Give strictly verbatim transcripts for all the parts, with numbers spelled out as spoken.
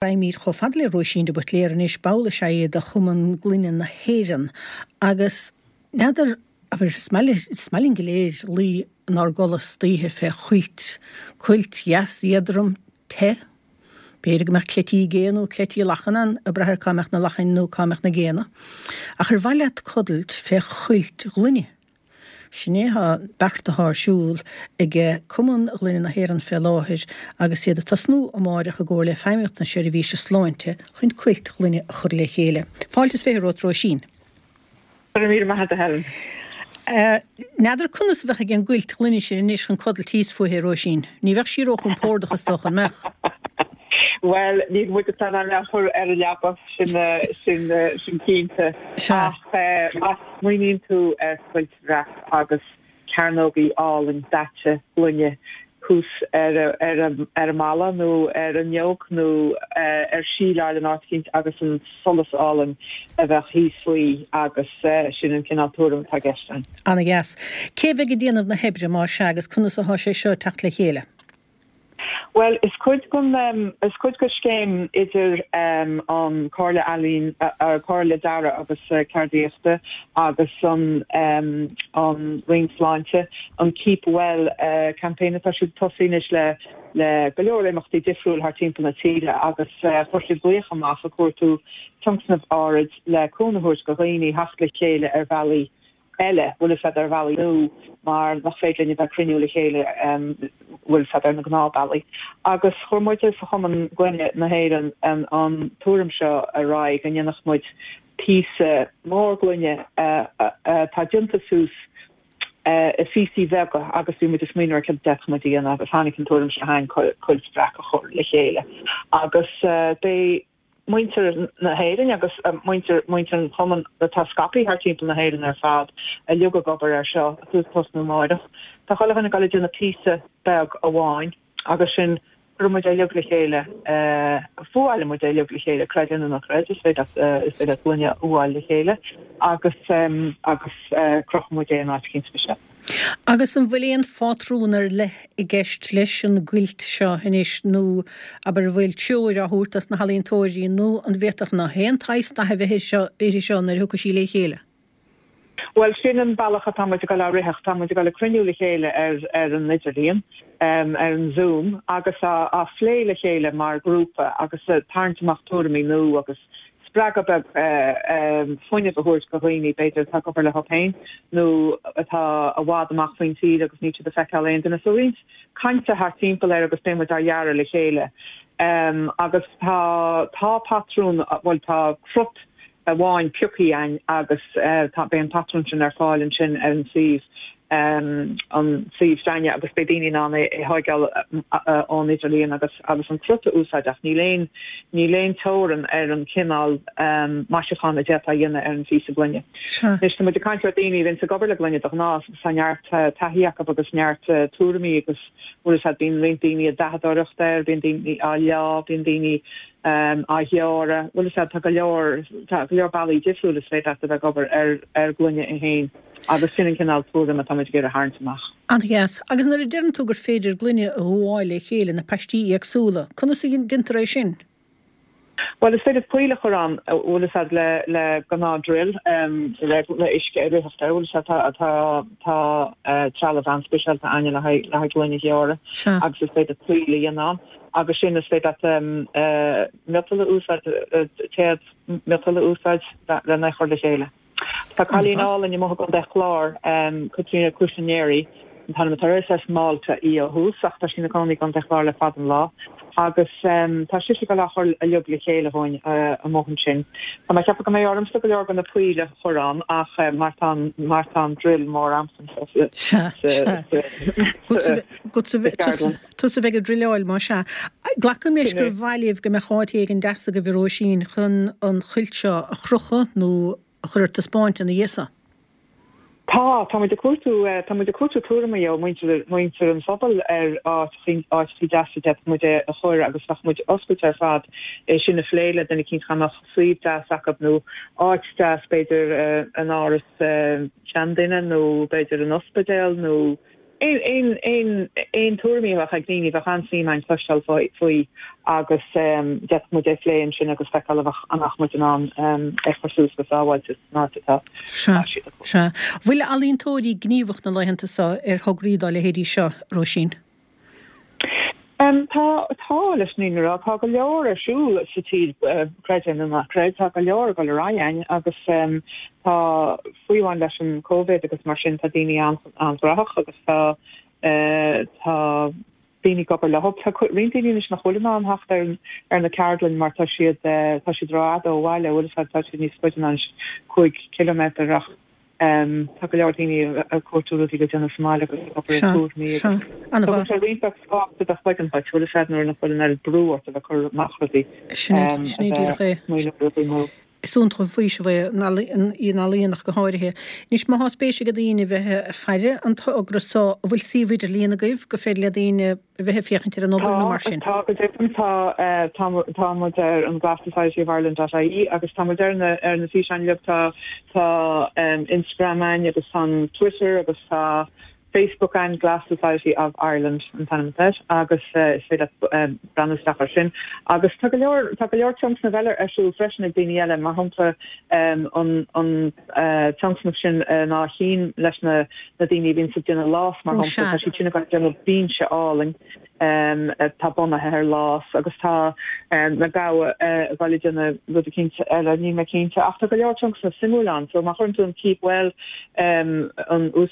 Raghaimid chomh fada le Róisín de Buitléar anois, ball is ea í de Chumann Gloine na hÉireann agus n'fheadar, abair, is maith is maith linn go léir luí inár gcodladh istoíche fé chuilt, cuilt dheas éadrom te. B'fhéidir go mbeadh cleití gé nó cleití lachan ann, ag brath ar cá mbeadh na lachain nó cá mbeadh na géanna. Ach ar mhaith leat codailt fé chuilt ghloine? Sin é an beart atá ar siúl ag Cumann Gloine na hÉireann fé láthair agus iad ag tosnú amáireach i gcomhar le Feidhmeannacht na Seirbhíse Sláinte chun cuilt ghloine a chur le chéile. Fáilte is fiche romhat Róisín. Go raibh míle maith agat a Helen. N'fheadar conas a bheadh ag an gcuilt ghloine sin anois chun codailt thíos fúithi, a Róisín. Ní bheadh sí róchompordach is dócha, an mbeadh? Bhuel, níl muid ag pleanáil a chur ar an leaba, sin sin sin cinnte. Ach má smaoiníonn tú ar chuilt bhreac agus cearnógaí álainn daite gloine thuas ar ar ar an mballa nó ar an fhuinneog nó ar síleáil in áit eicínt agus an solas álainn a bheadh thíos faoi agus sin an cineál tuairim atá i gceist ann. Ana-dheas. Cé bheidh ag déanamh na hoibre más ea agus conas atá sé seo ag teacht le chéile? Bhuel, is cuid den is cuid de scéim idir an Comhairle Ealaíon, Comhairle Dearaidh agus Ceardaíochta agus an an Roinn Sláinte an Keep Well campaign atá siad ag tosú anois le le go leor imeachtaí difriúil thar timpeall na tíre agus chuir siad glaoch amach ag cuartú tionscnamh áirid le cúnamh a thabhairt do dhaoine theacht le chéile ar bhealaí eile, bhfuil fhios a'd, ar bhealaí nua mar nach féidir linn a bheith ag cruinniú le chéile, bhfuil fhios a'd, ar na gnáthbhealaí. Agus chuir muide sa Chumann Gloine na hÉireann an tuairim seo ar aghaidh go ndéanfadh muid píosa mór gloine atá déanta suas i phíosaí beaga agus bhí muid ag smaoineamh ar céard a d'fhéadfadh muid a dhéanamh agus tháinig an tuairim seo chugainn cuilt bhreac a chur le chéile agus beidh muintir na hÉireann agus muintir muintir an Chumainn atá scaipthe thar timpeall na hÉireann ar fad uilig ag obair air seo ag tosnú amáireach. Tá chuile dhuine ag dul ag déanamh píosa beag amháin agus sin cuirfidh muid é uilig le chéile, fuáilfidh muid é uilig le chéile, creid é nó ná creid, is féidir leat is féidir leat gloine a fhuáil le chéile agus agus crochfaidh muid é in áit eicínt speisialta. Agus an bhfuil aon phátrún ar leith i gceist leis an gcuilt seo anois nó abair an bhfuil treoir á thabhairt dos na healaíontóirí nó an bhféadfadh nach aon tsaghas dath a bheith uirthi seo nuair a thiocfaidh sí le chéile? Bhuel, sin an bealach atá muid ag dul á ritheadh. Tá muid ag dul ag cruinniú le chéile ar ar an idirlíon, ar an Zoom, agus á á phlé le chéile mar ghrúpa agus ag tarraingt amach tuairimí nua agus spreagadh beag fuinnimh a thabhairt do dhaoine, b'fhéidir, atá ag obair leo féin nó atá i bhfad amach faoin tír agus níl siad ag feiceáil aon duine. So roinnt cainte thart timpeall air agus beidh muid á dhearadh le chéile. Agus tá, tá patrún, bhuel tá crut amháin pioctha againn agus tá, beidh an patrún sin ar fáil ansin ar an suíomh. an suíomh s'againne agus beidh daoine in ann é a thóigeáil ón idirlíon agus agus an crut a úsáid ach níl aon níl aon teorann ar an chineál maisiúchán a d'fhéadfá a dhéanamh ar an phíosa gloine. Anois tá muid ag caint ar daoine a bhíonns ag obair le gloine de ghnáth agus tá neart taithí acu agus neart tuairimí agus bhfuil fhios a'd bíonn roinnt daoine ag dathadóireacht air, bíonn daoine á leá, bíonn daoine á ghearradh, bhfuil fhios a'd tá go leor tá go leor bealaí difriúil is féidir leat a bheith ag obair ar ar ghloine é féin. Agus sin an cineál tuairim atá muid ag iarraidh a tharraingt amach. An-dheas. Agus nuair a deireann tú gur féidir gloine a fhuáil le chéile ina paistí éagsúla, conas a deintear é sin? Bhuel, is féidir poill a chur ann, bhfuil fhios a'd, le le gnáth drill, le le uisce ag ritheacht air, bhfuil fhios a'd, tá tá tá trealamh an-speisialta a'inne le haghaidh le haghaidh gloine a ghearradh agus is féidir poill a dhéanamh ann. Agus sin is féidir leat miotal a úsáid, téad miotail a úsáid lena chur le chéile. Tá cailín álainn amuigh i gContae an Chláir, Caitríona Cuisinieri an t-ainm atá uirthi, is as Málta í ó thús ach tá sí ina cónaí i gContae an Chláir le fada an lá agus tá sise ag dul á chur uilig le chéile dhúinn amuigh ansin. Tá mé ag ceapadh go mbeidh ormsa go leor de na poill a chur ann ach mar tá mar tá an drill mór a'msa anseo sa cheardlann. Tusa a bheidh ag druileáil, más ea. Glacaim leis gur mhaith libh go mbeadh áit éigin deas agaibh a Róisín chun an chuilt seo a chrochadh nó a chur ar taispeáint ina dhiaidh so. Tá, tá muid ag cuartú, tá muid ag cuartú tuairimí ó mhuintir, muintir an phobail ar áiteachaí, áiteachaí deasa a d'fhéadfadh muid é a chur agus bheadh muid oscailte ar fad é sin a phlé le duine eicínt dá mbeadh suíomh deas acu nó áit deas b'fhéidir in áras seanduine nó b'fhéidir in ospidéal nó aon aon aon tuairimí a bheadh ag daoine bheadh an-suim againn cloisteáil faoi agus d'fhéadfadh muid é a phlé ansin agus feiceáil an mbeadh muid in ann é a chur suas go sábháilte san áit atá Sea, sea. Bhfuil ealaíontóirí gníomhach na laethanta seo ar thograí dá leithéidí seo, Róisín? Tá, tá, leis an fhírinne a rá. Tá go leor ar siúl sa tír, creid é nó ná creid, tá go leor ag dul ar aghaidh againn agus tá, fiú amháin leis an Covid agus mar sin, tá daoine an-ghnóthach agus tá, tá daoine ag obair leo. Tá roinnt daoine anois nach bhfuil in ann theacht ar ar na ceardlainn mar tá siad, tá siad rófhada ó bhaile, bhfuil a fhios agat, tá siad níos faide ná cúig ciliméadar ach Tá go leor daoine ag cuartú rudaí le déanamh sa mbaile agus ag obair ar tuairimí agus tugann sé roinnt beag spáis do do chloigeann duit, bhfuil a fhios agat, nuair nach bhfuil an oiread brú ort a bheith ag cur amach rudaí, Sin é, sin é díreach é. smaoineamh ar rudaí nua. Is iontach an faoiseamh é an ealaíon ach go háirithe. Anois má tá spéis ag daoine bheith ag faire an togra so, an bhfuil suíomh idirlíon agaibh go féidir le daoine a bheith ag féachaint ar an obair nó mar sin? Tá, go deimhin tá, tá, tá muid ar an Glass Society of Ireland dot ie agus tá muid ar na, ar na físeáin uilig, tá, tá Instagram againn agus tá an Twitter agus tá Facebook againn, Glass Society of Ireland an t-ainm atá air agus is féidir leat breathnú isteach air sin. Agus tá go leor, tá go leor tionscnamh eile ar siúl freisin ag daoine eile, mar shampla an, an tionscnamh sin in Áth Chinn leis na, na daoine a bhíonns ag déanamh lás, mar Ó shampla, sea. tá siad sin ag déanamh binse álainn atá bunaithe ar lás agus tá na Gabha ag dul ag déanamh rud eicínt eile, níl mé cinnte, ach tá go leor tionscnamh suimiúil ann. So má chuireann tú an Keep Well, an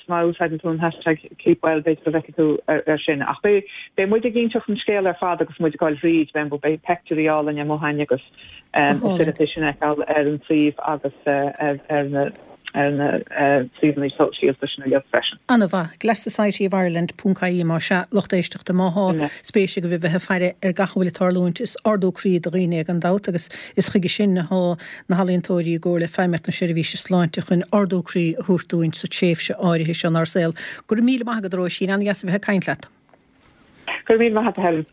má úsáideann tú an hashtag Keep Well b'fhéidir go bhfeicfidh tú ar sin. Ach beidh beidh muid ag inseacht an scéal ar fad agus muid ag dul thríd, beidh beidh peictiúirí álainn amuigh againn agus Go is hálainn. féidir leat é sin a fheiceáil ar an suíomh agus ar ar na ar na suíomhanna sóisialta sin uilig freisin. An-mhaith. Glass Society of Ireland ponc ie más ea, lucht éisteachta, má thá spéis agaibh a bheith ag faire ar gach a bhfuil ag tarlúint, is ardú croí do dhaoine é gan dabht agus is chuige sin athá na healaíontóirí i gcomhar le Feidhmeannacht na Seirbhíse Sláinte chun ardú croí a thabhairt dúinn sa tréimhse áirithe seo inár saol. Go raibh míle maith agat a Róisín, an-dheas a bheith ag caint leat. Go raibh míle maith agat a Helen.